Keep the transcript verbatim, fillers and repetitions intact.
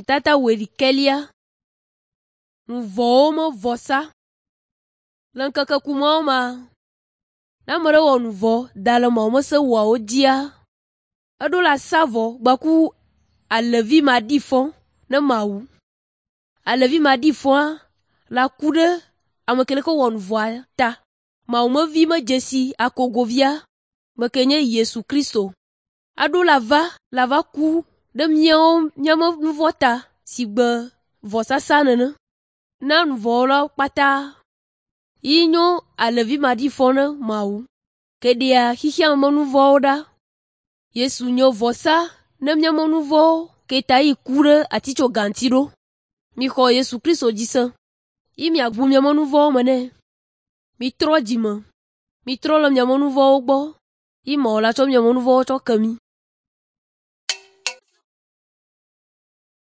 Nutata wuiɖekɛlia. Nu vɔ̃wo me vɔsa. Le ŋkeke ku mawo mea, ne ame ɖe wɔ nu vɔ̃ da le Mawu ƒe se ewoawo dzia, eɖo la sa vɔ gbaku alẽvi maɖifɔ ne Mawu. Alẽvi maɖifɔa la ku ɖe ame ke leke wɔ nu vɔ̃a ta. Mawu me vi medze si akogovia, me ke nye Yesu Kristo. Aɖo la va la va ku ɖe míawo míaƒe nu vɔ̃ ta si gbe vɔsasa nene na nu vɔ̃wɔlawo kpata. Yi nyo alẽvi maɖifɔ ne Mawu ke ɖea xexea me nu vɔ̃wo ɖa. Yesu nye vɔsa ne míaƒe nu vɔ̃wo ke ta yi ku ɖe atitsoga ŋuti ɖo. Mixɔ Yesu Kristo dzi se yi miaʋu miaƒe nu vɔ̃wo me nɛ. Mitrɔ dzi me, mitrɔ le miaƒe nu vɔ̃wo gbɔ yi Mawu la tsɔ miaƒe nu vɔ̃wo tsɔ ke mi.